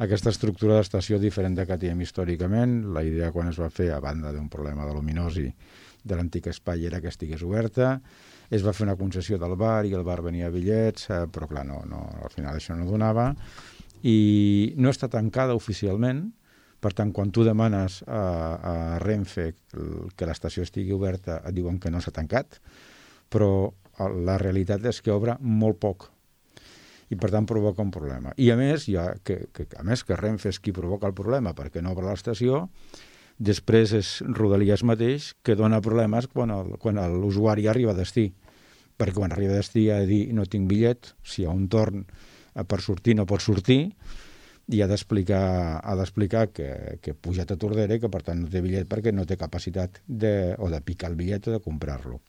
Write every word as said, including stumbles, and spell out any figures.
aquesta estructura d'estació diferent de que teníem històricament. La idea quan es va fer, a banda d'un problema de luminosi de l'antic espai, era que estigués oberta. Es va fer una concessió del bar i el bar venia a bitllets, eh, però clar, no, no, al final això no donava. I no està tancada oficialment. Per tant, quan tu demanes a, a Renfe que l'estació estigui oberta, et diuen que no s'ha tancat, però la realitat és que obre molt poc i per tant provoca un problema. I a més, ja que, que, a més que Renfe és qui provoca el problema perquè no obre l'estació, després és Rodalies mateix que dona problemes quan el, quan l'usuari arriba a destí, perquè quan arriba a destí ha de dir no tinc bitllet, si hi ha un torn per sortir no pot sortir, i ha d'explicar ha d'explicar que, que ha pujat a Tordera i que per tant no té bitllet perquè no té capacitat de, o de picar el bitllet o de comprar-lo.